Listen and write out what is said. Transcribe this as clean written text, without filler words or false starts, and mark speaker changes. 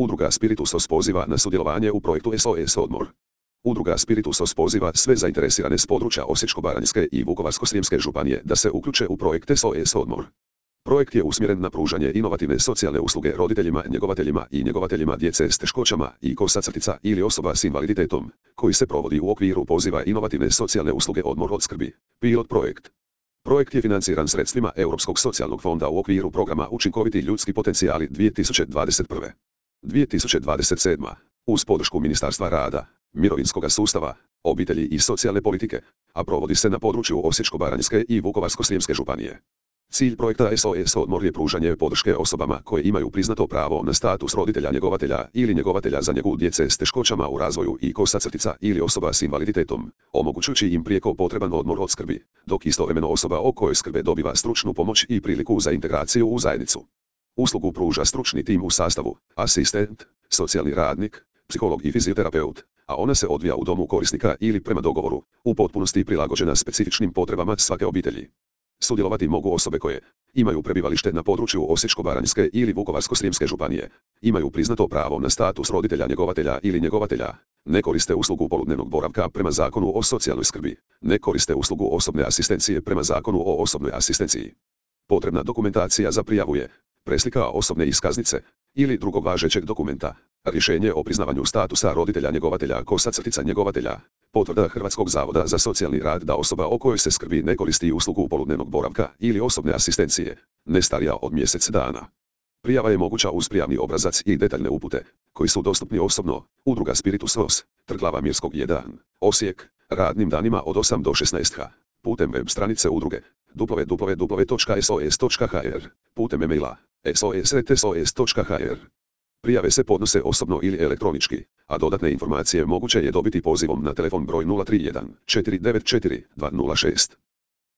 Speaker 1: Udruga Spiritusos poziva na sudjelovanje u projektu SOS Odmor. Udruga Spiritusos poziva sve zainteresirane s područja Osječko-baranjske i Vukovarsko-srijemske županije da se uključe u projekt SOS Odmor. Projekt je usmjeren na pružanje inovativne socijalne usluge roditeljima, njegovateljima i njegovateljima djece s teškoćama i kosa-crtica ili osoba s invaliditetom, koji se provodi u okviru poziva inovativne socijalne usluge Odmor od skrbi. Pilot projekt. Projekt je financiran sredstvima Europskog socijalnog fonda u okviru programa Učinkoviti ljudski potencijali 2021. 2027. uz podršku Ministarstva rada, mirovinskog sustava, obitelji i socijalne politike, a provodi se na području Osječko-baranjske i Vukovarsko-srijemske županije. Cilj projekta SOS Odmor je pružanje podrške osobama koje imaju priznato pravo na status roditelja njegovatelja ili njegovatelja za njegu djece s teškoćama u razvoju i kosa-crtica ili osoba s invaliditetom, omogućujući im prijeko potreban odmor od skrbi, dok istovremeno osoba o kojoj skrbe dobiva stručnu pomoć i priliku za integraciju u zajednicu. Uslugu pruža stručni tim u sastavu, asistent, socijalni radnik, psiholog i fizioterapeut, a ona se odvija u domu korisnika ili prema dogovoru, u potpunosti prilagođena specifičnim potrebama svake obitelji. Sudjelovati mogu osobe koje imaju prebivalište na području Osječko-baranjske ili Vukovarsko-srijemske županije, imaju priznato pravo na status roditelja njegovatelja ili njegovatelja, ne koriste uslugu poludnevnog boravka prema Zakonu o socijalnoj skrbi, ne koriste uslugu osobne asistencije prema Zakonu o osobnoj asistenciji. Potrebna dokumentacija za prijavu je preslika osobne iskaznice ili drugog važećeg dokumenta, rješenje o priznavanju statusa roditelja njegovatelja kosa-crtica njegovatelja, potvrda Hrvatskog zavoda za socijalni rad da osoba o kojoj se skrbi ne koristi uslugu poludnevnog boravka ili osobne asistencije, ne starija od mjesec dana. Prijava je moguća uz prijavni obrazac i detaljne upute, koji su dostupni osobno, Udruga Spiritusos, Trg Glava Mirskog 1, Osijek, radnim danima od 8 do 16h, putem web stranice udruge, www.sos.hr, putem e-maila, sos@sos.hr. Prijave se podnose osobno ili elektronički, a dodatne informacije moguće je dobiti pozivom na telefon broj 031 494 206.